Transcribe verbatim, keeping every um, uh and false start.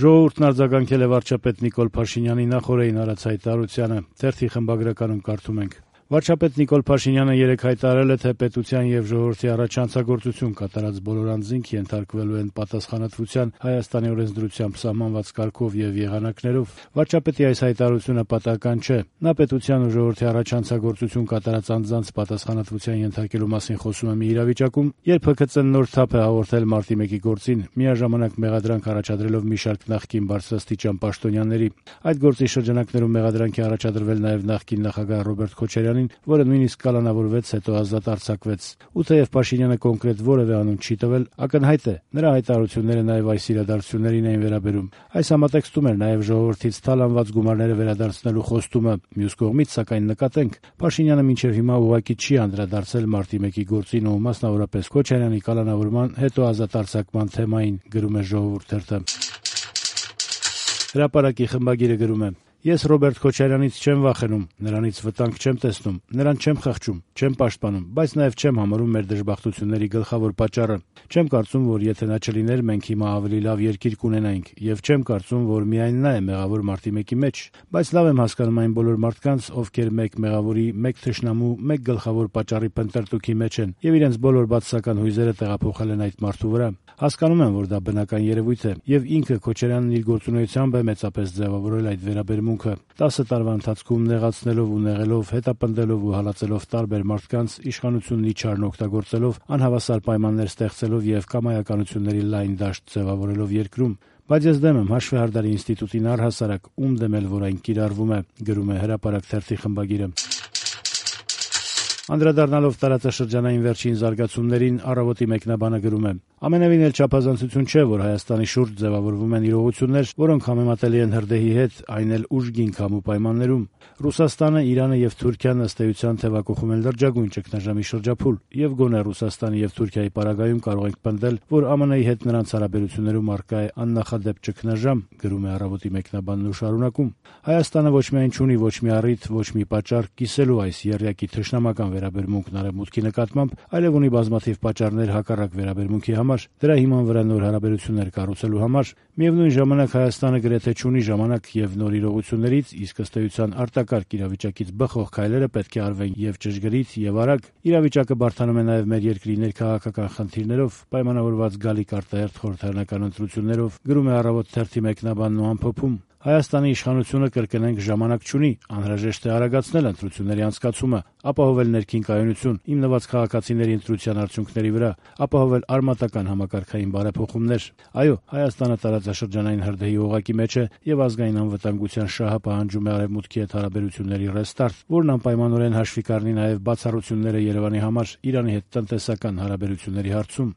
Ժողովուրդն արձագանքել է վարչապետ Նիկոլ Փաշինյանի նախօրեին արած հայտարարությանը։ Թերթի խմբագրականում կարդում ենք. Վարչապետ Նիկոլ Փաշինյանը երեկ հայտարարել է, թե պետության եւ ժողովրդի առաջ հանցագործություն կատարած բոլոր անձինք ենթարկվելու են պատասխանատվության Հայաստանի օրենսդրությամբ սահմանված կարգով եւ եղանակներով։ Վարչապետի այս հայտարարությունը պատահական չէ։ Նա պետության ու ժողովրդի առաջ հանցագործություն կատարած անձանց պատասխանատվության ենթարկելու մասին խոսում է մի իրավիճակում, երբ ՀՔԾ նոր թափ է հաղորդել մարտի մեկի գործին, միաժամանակ մեղադրանք առաջադրելով մի շարք նախկին բարձրաստիճան պաշտոնյաների։ Այդ գործի շրջանակներում մեղադրանքի առաջադրվել նաեւ նախկին նախագահ Ռոբերտ Քոչարյանին, որը նույնիսկ կալանավորվեց, հետո ազատ արձակվեց։ Ու թեև Փաշինյանը կոնկրետ որևէ անուն չի տվել, ակնհայտ է, նրա հայտարարությունները նաեւ այս իրադարձություններին էին վերաբերում։ Այս համատեքստում էր նաեւ ժողովրդից թալանված գումարները վերադարձնելու խոստումը։ Մյուս կողմից, սակայն, նկատենք, Փաշինյանը մինչեւ հիմա ուղղակի չի անդրադարձել մարտի մեկի գործին ու մասնավորապես Քոչարյանի կալանավորման, հետո ազատ արձակման թեմային, գրում է Ժողովուրդ թերթը։ Հրապարակի խմբագիրը գրում է. Ես Ռոբերտ Քոչարյանից չեմ վախենում, նրանից վտանգ չեմ տեսնում, նրան չեմ խղճում, չեմ պաշտպանում, բայց նաև չեմ համարում մեր դժբախտությունների գլխավոր պատճառը։ Չեմ կարծում, որ եթե նա չլիներ, մենք հիմա ավելի լավ երկիր կունենայինք, եւ չեմ կարծում, որ միայն նա է մեղավոր մարտի մեկի մեջ, բայց լավ եմ հասկանում այն բոլոր մարդկանց, ովքեր մեկ մեղավորի, մեկ թշնամու, մեկ գլխավոր պատճառի փնտրտուքի մեջ են եւ իրենց բոլոր բացասական հույզերը տեղափոխել են այդ մարդու վրա։ Հասկանում եմ, որ դա բնական երևույթ է, եւ ինքը Քոչարյանն իր գործունեությամբ է մեծապես ձևավորել այդ վերաբերմունքը։ տասը տարվա ընթացքում նեղացնելով ու նեղելով, հետապնդելով ու հալածելով տարբեր մարդկանց, իշխանությունն իջարն օգտագործելով, անհավասար պայմաններ ստեղծելով եւ կամայականությունների լայն դաշտ ձևավորելով երկրում։ Բայց ես դեմ եմ հաշվեհարդարի ինստիտուտին առհասարակ, ում դեմ էլ որ այն կիրառվում է, գրում է Հրապարակ թերթի խմբագիրը։ Անդրադառնալով տարածաշրջանային վերջին զարգացումներին, Առավոտի մեկնաբանը գրում է. Ամենևին էլ չափազանցություն չէ, որ Հայաստանի շուրջ ձևավորվում են իրողություններ, որոնք համեմատելի են հրդեհի հետ, այն էլ ուժգին քամու պայմաններում։ Ռուսաստանը, Իրանը եւ Թուրքիան ըստ էության թեւակոխում են լրջագույն ճգնաժամի շրջափուլ, եւ գոնե Ռուսաստանի եւ Թուրքիայի պարագայում կարող ենք պնդել, որ ԱՄՆ-ի հետ նրանց հարաբերություններում առկա է աննախադեպ ճգնաժամ, գրում է Առավոտի մեկնաբանն ու շարունակում. Հայաստանը ոչ միայն չունի ոչ մի առիթ, ոչ մի պատճառ կիսելու այս եռյակի թշնամական վերաբերմունքն արևմուտքի նկատմամբ, այլև ունի բազմաթիվ պատճառներ հակառակ վերաբերմունքի համար, դրա հիման վրա նոր հարաբերություններ կառուցելու համար։ Միևնույն ժամանակ Հայաստանը գրեթե չունի ժամանակ եւ նոր իրողություններից, իսկ ըստ էության արտակարգ իրավիճակից բխող քայլերը պետք է արվեն եւ ճշգրիտ եւ արագ։ Իրավիճակը բարդանում է նաեւ մեր երկրի ներքաղաքական խնդիրներով, պայմանավորված գալիք արտահերթ խորհրդարանական ընտրություններով, գրում է Առավոտ թերթի մեկնաբանն ու ամփոփում։ Հայաստանի իշխանությունը կրկնենք ժամանակ չունի, անհրաժեշտ է արագացնել ընտրությունների անցկացումը, ապահովել ներքին կայունություն, հիմնված քաղաքացիների ընտրության արդյունքների վրա, ապահովել արմատական համակարգային բարեփոխումներ։ Այո, Հայաստանը տարածաշրջանային հրդեհի օղակի մեջ է եւ ազգային անվտանգության շահը պահանջում է արևմուտքի հետ հարաբերությունների ռեստարտ, որն անպայմանորեն հաշվի կառնի նաեւ բացառությունները Երևանի համար Իրանի հետ տնտեսական հարաբերությունների հարցում։